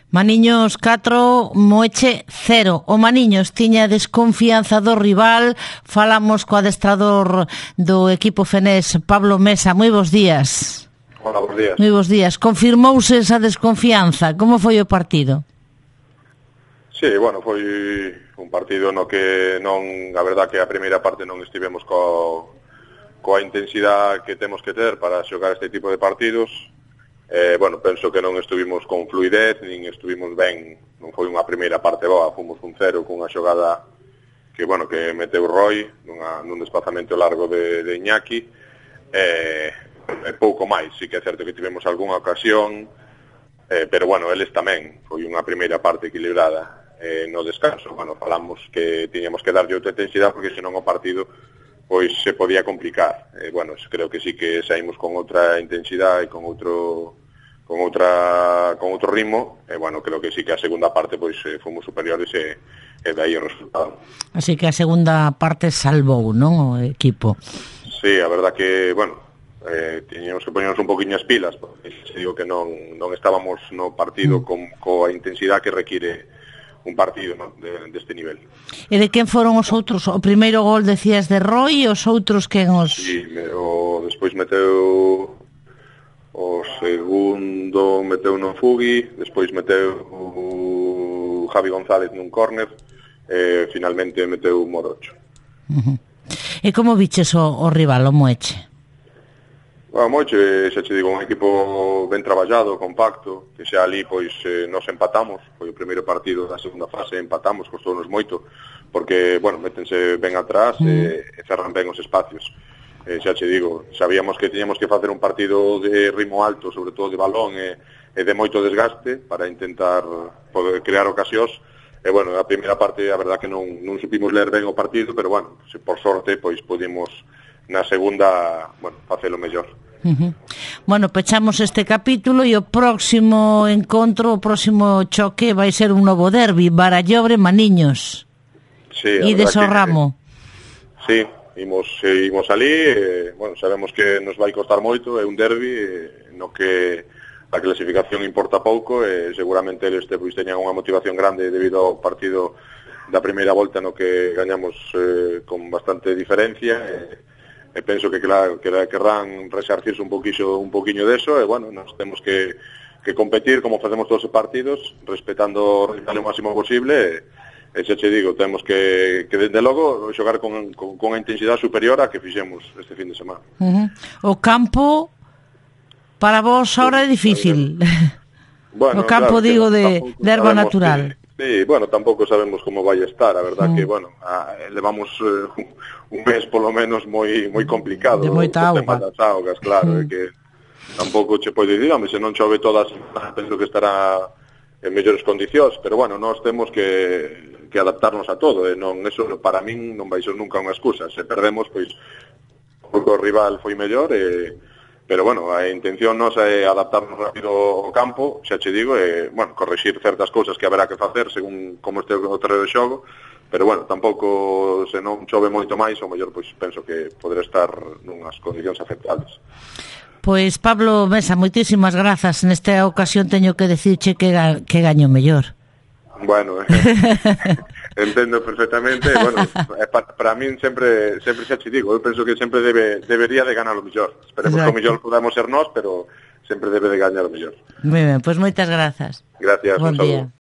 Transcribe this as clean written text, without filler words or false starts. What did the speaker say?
Maniños 4, Moeche 0. O Maniños tiña desconfianza do rival. Falamos co adestrador do equipo fenés, Pablo Mesa. Moi bons días. Hola, bons días. Moi bons días. Confirmouse esa desconfianza. Como foi o partido? Sí, bueno, foi un partido no que non, a verdad que a primeira parte non estivemos coa intensidade que temos que ter para xogar este tipo de partidos. Bueno, penso que non estuvimos con fluidez, nin estuvimos ben, non foi unha primeira parte boa, fomos un 0 cunha xogada que, bueno, que meteu Roy nun desplazamento largo de Iñaki, pouco máis, sí que é certo que tivemos algunha ocasión, pero bueno, eles tamén, foi unha primeira parte equilibrada. No descanso, bueno, falamos que tiñamos que darlle outra intensidade porque senón o partido pois se podía complicar. Bueno, creo que sí que saímos con outra intensidade e con outro ritmo, bueno, creo que sí que a segunda parte pois fomos superiores e dai o resultado. Así que a segunda parte salvou, non, o equipo? Sí, a verdad que, bueno, tiñamos que poñernos un poquinho as pilas, porque se digo que non estábamos no partido coa intensidade que require un partido, ¿no?, deste nivel. E de quen foron os outros? O primeiro gol decías de Roy e os outros quen os... Sí, despois meteu o segundo, meteu no Fugui, despois meteu o Javi González nun córner, finalmente meteu o Morocho. E como viches o rival, o Moeche? Bueno, Moeche, xa che digo, un equipo ben traballado, compacto, que xa ali, pois, nos empatamos, foi o primeiro partido da segunda fase, empatamos, costounos moito, porque, bueno, métense ben atrás e cerran ben os espacios. Xa che digo, sabíamos que tiñamos que facer un partido de ritmo alto, sobre todo de balón e de moito desgaste, para intentar poder crear ocasións, e, bueno, a primeira parte, a verdad que non supimos ler ben o partido, pero, bueno, por sorte, pois, pudimos na segunda, bueno, facelo mellor. Bueno, pechamos este capítulo e o próximo encontro, o próximo choque vai ser un novo derbi, Barallobre-Maniños. Sí, e deso ramo. Sí, imos ali, bueno, sabemos que nos vai costar moito, é un derbi no que a clasificación importa pouco e seguramente eles pois teñan unha motivación grande debido ao partido da primeira volta no que gañamos con bastante diferencia e penso que claro, querrán resarcirse un poquinho deso e bueno, nos temos que competir como facemos todos os partidos, respetando o rival o máximo posible e xa che digo, temos que desde logo xogar con a intensidade superior a que fixemos este fin de semana. O campo para vos ahora é difícil. Bueno, o campo, claro, digo, de erva natural. Sí, bueno, tampouco sabemos como vai estar, a verdad que, bueno, levamos un mes polo menos moi complicado. De moita auga. Das augas, claro, que tampouco che pode dicir, se non chove todas, penso que estará en mellores condicións, pero bueno, nós temos que adaptarnos a todo, e non, eso para min non vai ser nunca unha excusa. Se perdemos, pois, o rival foi mellor, pero bueno, a intención nosa é adaptarnos rápido ao campo, xa che digo, e, bueno, corrixir certas cousas que haberá que facer según como este o terreno de xogo, pero bueno, tampouco se non chove moito máis, ou mellor, pois, penso que poderá estar nunhas condicións aceptables. Pois, Pablo Mesa, moitísimas grazas. Nesta ocasión teño que dicirche que gaño mellor. Bueno, entendo perfectamente, bueno, para min sempre xa che digo, eu penso que sempre debería de ganar o mellor. Esperemos que o mellor podamos ser nós, pero sempre debe de gañar o mellor. Moi ben, pois moitas grazas. Gracias, bon día.